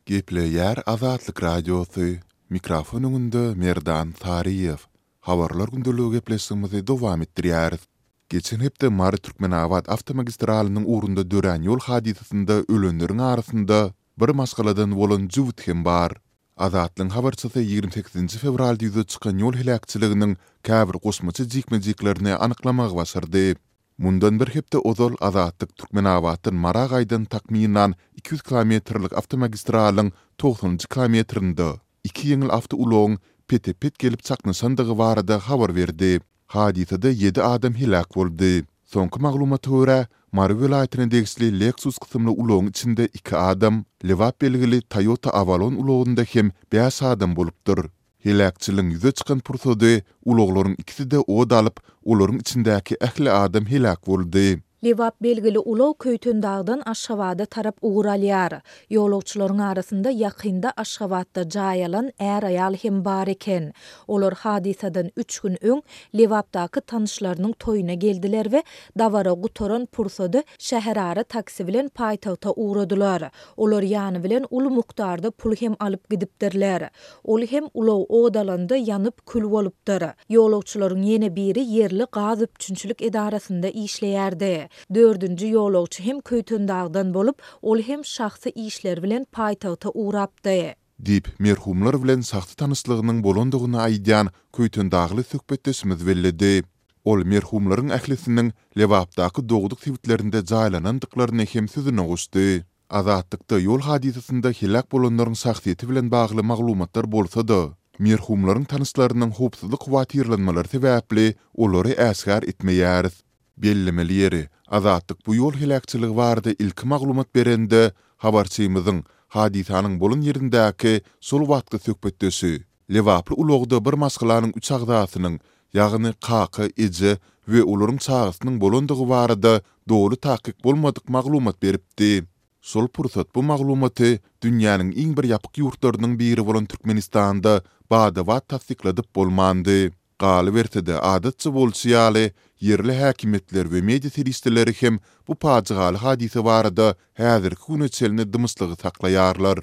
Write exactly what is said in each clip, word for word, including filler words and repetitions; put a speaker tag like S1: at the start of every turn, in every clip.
S1: Gepleýär Azatlyk Radiosy, mikrofon öňünde Merdan Saryýew. Habarlar gündeligi gepleşigimizi dowam etdirýäris. Geçen hepde Mary-Türkmenabat awtomagistralynyň ugrunda dörän ýol hadysasynda ölenleriň arasynda bir maşgaladan bolan jübüt hem bar. Azatlygyň habarçysy ýigrimi sekizinji fewralda ýüze çykan ýol heläkçiliginiň käbir goşmaça jikme-jiklerini anyklamagy başardy. Mundan bir hepde ozal Azatlyk Türkmenabatdan Mara gaýdan takmynan iki ýüz kilometrlik awtomagistralyň togsanynjy kilometrinde iki ýeňil awtoulagyň pete-pet gelip çaknyşandygy barada habar berdi. Hadysada ýedi adam heläk boldy. Soňky maglumata görä, Mary welaýatyna degişli Lexus kysymly ulagyň içinde iki adam, Lebap belgili Toyota Avalon ulagynda hem bäş adam bolupdyr. Heläkçiligiň ýüze çykan pursady ulaglaryň ikisi-de ot alyp, olaryň içindäki ähli adam heläk boldy.
S2: Lebap belgili ulag Köýtendagdan Aşgabada tarap ugur alýar. Ýolagçylaryň arasynda ýakynda Aşgabatda jaý alan är-aýal hem bar eken. Olar hadysadan üç gün öň Lebapdaky tanyşlarynyň toýuna geldiler we dabara gutaran pursady şäherara taksi bilen paýtagta ugradylar. Olar ýany bilen uly mukdarda pul hem alyp gidipdirler. Ol hem ulag ot alanda ýanyp kül bolupdyr. Ýolagçylaryň ýene biri ýerli gaz üpjünçilik edarasynda işleýärdi. Dördünji ýolagçy hem Köýtendagdan bolup, ol hem şahsy işleri bilen paýtagta ugrapdy.
S1: Diýip, merhumlar bilen şahsy tanyşlygynyň bolandygyny aýdýan köýtendagly söhbetdeşimiz belledi. Ol merhumlaryň ählisiniň Lebapdaky dogduk sebitlerinde jaýlanandyklaryny hem sözüne goşdy. Azatlykda ýol hadysasynda heläk bolanlaryň şahsyýeti bilen bagly maglumatlar bolsa-da, merhumlaryň tanyşlarynyň howpsuzlyk howatyrlanmalary sebäpli olary äşgär etmeýäris. Bellemeli ýeri, Azatlyk bu ýol heläkçiligi barada ilki maglumat berende, habarçymyzyň hadysanyň bolan ýerindäki şol wagtky söhbetdeşi, lebaply ulagda bir maşgalanyň üç agzasynyň, ýagny kaka, eje we olaryň çagasynyň bolandygy barada doly takyk bolmadyk maglumat beripdi. Şol pursat bu maglumaty dünýäniň iň bir ýapyk ýurtlarynyň biri bolan Türkmenistanda bada-bat tassykladyp bolmandy. Galyberse-de, adatça bolşy ýaly, ýerli häkimiýetler we media serişdeleri hem bu pajygaly hadysa barada häzirki güne çenli dymyşlygy saklaýarlar.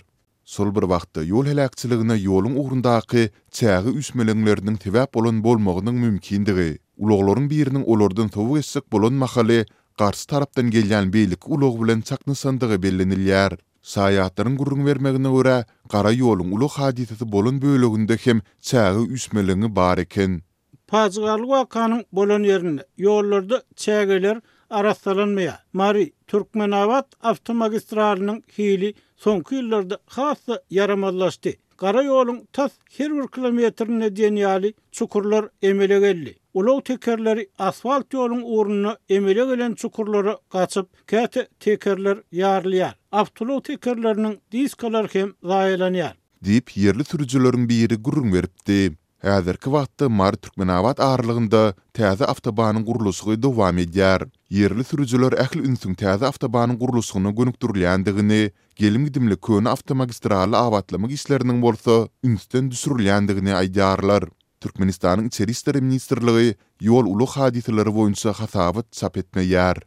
S1: Şol bir wagtda, ýol heläkçiligine ýoluň ugrundaky çäge üýşmeleňleriniň sebäp bolan bolmagynyň mümkindigi, ulaglaryň biriniň olardan sowa geçjek bolan mahaly garşy tarapdan gelýän beýleki ulag bilen çaknyşandygy bellenilýär. Şaýatlaryň gürrüň bermegine görä, gara ýoluň ulag hadysasy bolan böleginde hem çäge üýşmeleňi bar eken.
S3: Pajygaly wakanyň bolan ýerinde ýollarda çägeler arassalanmaýar. Mary, Türkmenabat awtomagistralynyň hili soňky ýyllarda has-da ýaramazlaşdy. Gara ýoluň tas her bir kilometrinde diýen ýaly çukurlar emele geldi. Ulag tekerleri asfalt ýoluň ugrunda emele gelen çukurlara gaçyp, käte tekerler ýarylýar. Awtoulag tekerleriniň diskalary hem zaýalanýar.
S1: Diýip, ýerli sürüjileriň biri gürrüň beripdi. Häzirki wagtda Mary-Türkmenabat aralygynda täze awtobanyň gurluşygy dowam edýär. Ýerli sürüjiler ähli ünsüň täze awtobanyň gurluşygyna gönükdirilýändigini, gelim-gidimli köne awtomagistraly abatlamak işleriniň bolsa ünsden düşürilýändigini aýdýarlar. Türkmenistanyň Içeri işler ministrligi ýol-ulag hadysalary boýunça hasabat çap etmeýär.